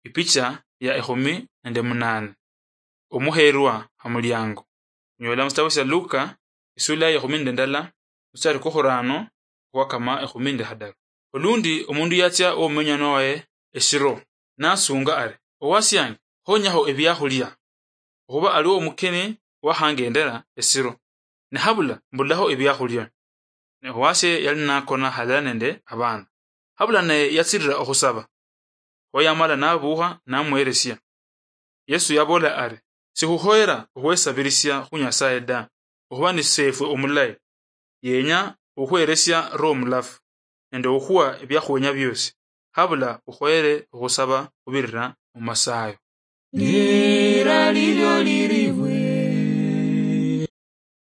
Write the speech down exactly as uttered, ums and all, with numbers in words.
Ipicha ya ekhumi nende munane. Omuherwa ha muliango. Nyola musitabo sia Luka, isula ya ekhumi nende ndala, musitari kwa khurano khwakama ekhumi nende hadaru. Olundi omundu yatsia omumenyano waye eshiro, nasunga ari, "Owasiange, khonyaho ebiakhulia, okhuba aliwo omukeni wakhangendera esiro, ne habula mbulaho ebiakhulia." Ne owasye yali nakona halala nende abana. Habula naye yatsirira okhusaba. Kho yamala nabuukha namuheresia. Yesu yabola ari, "Sikhukhoyera okhwesabirisia khu Nyasaye da, okhuba ni Seefwe omulayi. Yenya okhweresia Roho Mulafu, nende okhuwa ebiakhwenya biosi. Habula okhoyere okhusaba khubirira mu masayo." Lira lilio liri